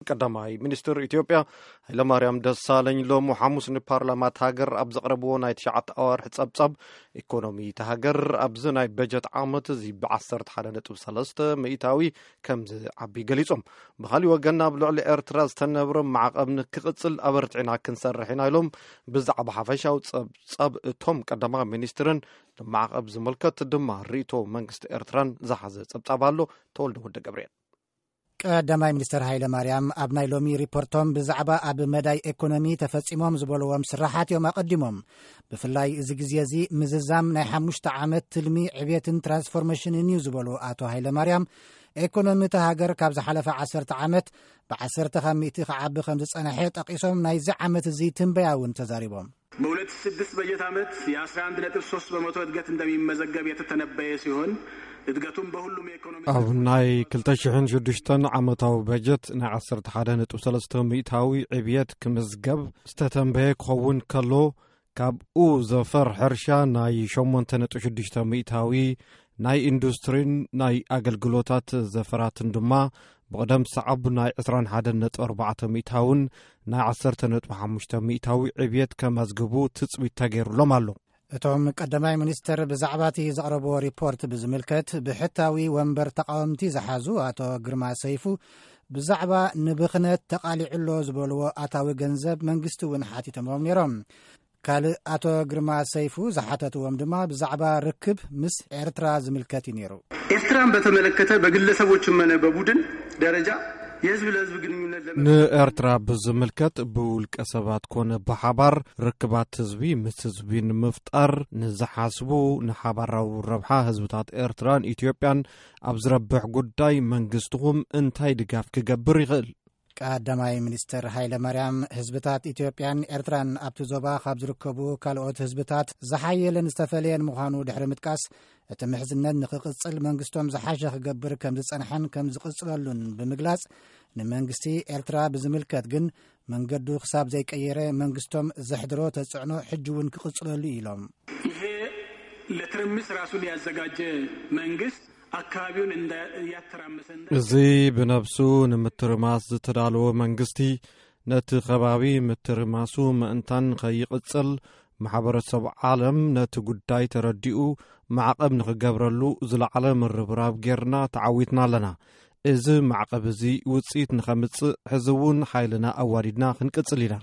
ቀዳማይ ሚኒስትር ኢትዮጵያ ኃይለማርያም ደሳለኝ ሎሚ ሓሙስ ንፓርላማ እታ ሃገር ኣብ ዘቕረብዎ ናይ ትሽዓተ ኣዋርሕ ጸብጻብ፣ ኢኮኖሚ እታ ሃገር ኣብዚ ናይ በጀት ዓመት እዚ ብ ዓሰርተ ሓደ ነጥቢ ሰለስተ ሚእታዊ ከም ዝዓቢ ገሊጾም። ብኻሊእ ወገን፣ ኣብ ልዕሊ ኤርትራ ዝተነብረ ማዕቐብ ንክቕጽል ኣበርቲዕና ክንሰርሕ ኢና ኢሎም። ብዛዕባ ሓፈሻዊ ጸብጻብ እቶም ቀዳማይ ሚኒስትርን ንማዕቐብ ዝምልከት ድማ ርእይቶ መንግስቲ ኤርትራን ዝሓዘ ጸብጻብ ኣሎ። ተወልደ ወልደ ገብርኤል። ቀዳማይ ሚኒስትር ኃይለ ማርያም ኣብ ናይ ሎሚ ሪፖርቶም ብዛዕባ ኣብ መዳይ ኤኮኖሚ ተፈጺሞም ዝበልዎም ስራሓት እዮም ኣቐዲሞም። ብፍላይ እዚ ግዜ እዚ ምዝዛም ናይ ሓሙሽተ ዓመት ትልሚ ዕብየትን ትራንስፎርሜሽንን እዩ ዝበሉ ኣቶ ኃይለ ማርያም፣ ኤኮኖሚ እታ ሃገር ካብ ዝሓለፈ ዓሰርተ ዓመት ብዓሰርተ ካብ ሚእቲ ክዓቢ ከም ዝጸንሐ ጠቒሶም፣ ናይዚ ዓመት እዚ ትንበያ እውን ተዛሪቦም። በሁለት ሺህ ስድስት በጀት ዓመት የ አስራ አንድ ነጥብ ሶስት በመቶ እድገት እንደሚመዘገብ የተተነበየ ሲሆን፣ እድገቱም በሁሉም የኢኮኖሚ ኣብ ናይ ክልተ ሽሕን ሽዱሽተን ዓመታዊ በጀት ናይ ዓሰርተ ሓደ ነጥቢ ሰለስተ ሚእታዊ ዕብየት ክምዝገብ ዝተተንበየ ክኸውን ከሎ፣ ካብኡ ዘፈር ሕርሻ ናይ ሸሞንተ ነጥቢ ሽዱሽተ ሚእታዊ፣ ናይ ኢንዱስትሪን ናይ ኣገልግሎታት ዘፈራትን ድማ ብቕደም ሰዓብ ናይ ዕስራን ሓደን ነጥቢ ኣርባዕተ ሚእታውን ናይ ዓሰርተ ነጥቢ ሓሙሽተ ሚእታዊ ዕብየት ከመዝግቡ ትጽቢት ተገይሩሎም ኣሎ። እቶም ቀዳማይ ሚኒስትር ብዛዕባ እቲ ዘቕረብዎ ሪፖርት ብዝምልከት ብሕታዊ ወንበር ተቃወምቲ ዝሓዙ ኣቶ ግርማ ሰይፉ፣ ብዛዕባ ንብኽነት ተቓሊዑ ኣሎ ዝበልዎ ኣታዊ ገንዘብ መንግስቲ እውን ሓቲቶምዎም ነይሮም። ካልእ ኣቶ ግርማ ሰይፉ ዝሓተትዎም ድማ ብዛዕባ ርክብ ምስ ኤርትራ ዝምልከት እዩ ነይሩ። ኤርትራን በተመለከተ በግለሰቦችም ሆነ በቡድን ደረጃ የህዝብ ለህዝብ ግንኙነት ለመ- ንኤርትራ ብዝምልከት ብውልቀ ሰባት ኮነ ብሓባር ርክባት ህዝቢ ምስ ህዝቢ ንምፍጣር ንዝሓስቡ፣ ንሓባራዊ ረብሓ ህዝብታት ኤርትራን ኢትዮጵያን ኣብ ዝረብሕ ጉዳይ መንግስትኹም እንታይ ድጋፍ ክገብር ይኽእል? ቀዳማይ ሚኒስትር ኃይለ ማርያም፣ ህዝብታት ኢትዮጵያን ኤርትራን ኣብቲ ዞባ ካብ ዝርከቡ ካልኦት ህዝብታት ዝሓየለን ዝተፈለየን ምዃኑ ድሕሪ ምጥቃስ፣ እቲ ምሕዝነት ንክቕጽል መንግስቶም ዝሓሸ ክገብር ከም ዝጸንሐን ከም ዝቕጽለሉን ብምግላጽ፣ ንመንግስቲ ኤርትራ ብዝምልከት ግን መንገዱ ክሳብ ዘይቀየረ መንግስቶም ዘሕድሮ ተጽዕኖ ሕጂ እውን ክቕጽለሉ እዩ ኢሎም። ይሄ ለትርምስ ራሱን ያዘጋጀ መንግስት አካባቢውን እንደ- እያተራመሰ እንደ- እዚ ብነብሱ ንምትርማስ ዝተዳለወ መንግስቲ፣ ነቲ ከባቢ ምትርማሱ ምእንታን ከይቕጽል፣ ማሕበረሰብ ዓለም ነቲ ጉዳይ ተረዲኡ ማዕቐብ ንኽገብረሉ ዝለዓለ ምርብራብ ጌርና ተዓዊትና ኣለና። እዚ ማዕቐብ እዚ ውጽኢት ንኸምጽእ ሕዚ እውን ሓይልና ኣዋዲድና ክንቅጽል ኢና።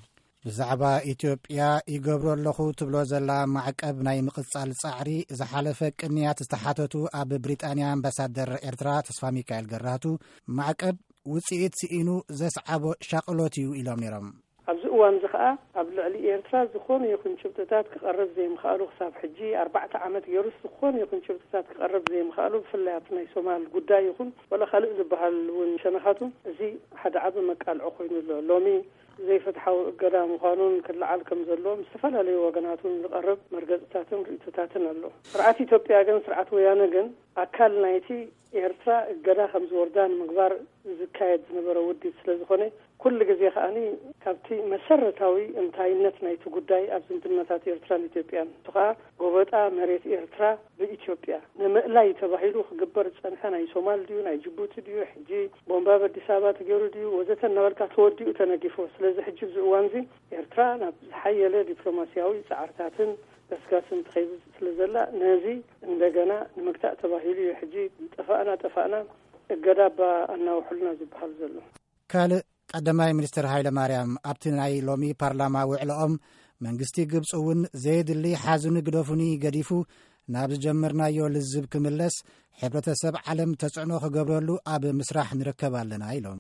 ብዛዕባ ኢትዮጵያ ይገብሮ ኣለኹ ትብሎ ዘላ ማዕቀብ ናይ ምቕጻል ጻዕሪ ዝሓለፈ ቅንያት ዝተሓተቱ ኣብ ብሪጣንያ ኣምባሳደር ኤርትራ ተስፋ ሚካኤል ገራህቱ፣ ማዕቀብ ውጽኢት ስኢኑ ዘስዓቦ ሻቕሎት እዩ ኢሎም ነይሮም። ኣብዚ እዋን እዚ ኸኣ ኣብ ልዕሊ ኤርትራ ዝኾነ ይኹን ጭብጥታት ክቐርብ ዘይምኽኣሉ፣ ክሳብ ሕጂ ኣርባዕተ ዓመት ገይሩስ ዝኾነ ይኹን ጭብጥታት ክቐርብ ዘይምኽኣሉ፣ ብፍላይ ኣብቲ ናይ ሶማል ጉዳይ ይኹን ወላ ካልእ ዝበሃል እውን ሸነኻቱ፣ እዚ ሓደ ዓቢ መቃልዖ ኮይኑ ኣሎ። ሎሚ ዘይፍትሓዊ እገዳ ምዃኑን ክለዓል ከም ዘለዎም ዝተፈላለዩ ወገናትን ዝቐርብ መርገጽታትን ርእይቶታትን ኣሎ። ስርዓት ኢትዮጵያ ግን፣ ስርዓት ወያነ ግን ኣካል ናይቲ ኤርትራ እገዳ ከም ዝወርዳ ንምግባር ዝካየድ ዝነበረ ውዲት ስለ ዝኾነ፣ ኩሉ ግዜ ከኣኒ ካብቲ መሰረታዊ እንታይነት ናይቲ ጉዳይ ኣብ ዝምድናታት ኤርትራን ኢትዮጵያን፣ እሱ ከኣ ጎበጣ መሬት ኤርትራ ብኢትዮጵያ ንምእላይ ተባሂሉ ክግበር ዝጸንሐ ናይ ሶማል ድዩ፣ ናይ ጅቡቲ ድዩ፣ ሕጂ ቦምባ ኣብ ኣዲስ ኣበባ ተገይሩ ድዩ ወዘተ እናበልካ ተወዲኡ ተነጊፎ። ስለዚ ሕጂ ኣብዚ እዋን እዚ ኤርትራ ናብ ዝሓየለ ዲፕሎማስያዊ ጻዕርታትን ገስጋስን ትኸይድ ስለ ዘላ፣ ነዚ እንደገና ንምግታእ ተባሂሉ እዩ ሕጂ ጠፋእና ጠፋእና እገዳ እባ ኣናውሕሉና ዝበሃል ዘሎ። ካልእ ቀዳማይ ሚኒስትር ሃይለ ማርያም ኣብቲ ናይ ሎሚ ፓርላማ ውዕለኦም፣ መንግስቲ ግብፂ እውን ዘየድሊ ሓዙኒ ግደፉኒ ገዲፉ ናብ ዝጀመርናዮ ልዝብ ክምለስ ሕብረተሰብ ዓለም ተፅዕኖ ክገብረሉ ኣብ ምስራሕ ንርከብ ኣለና ኢሎም።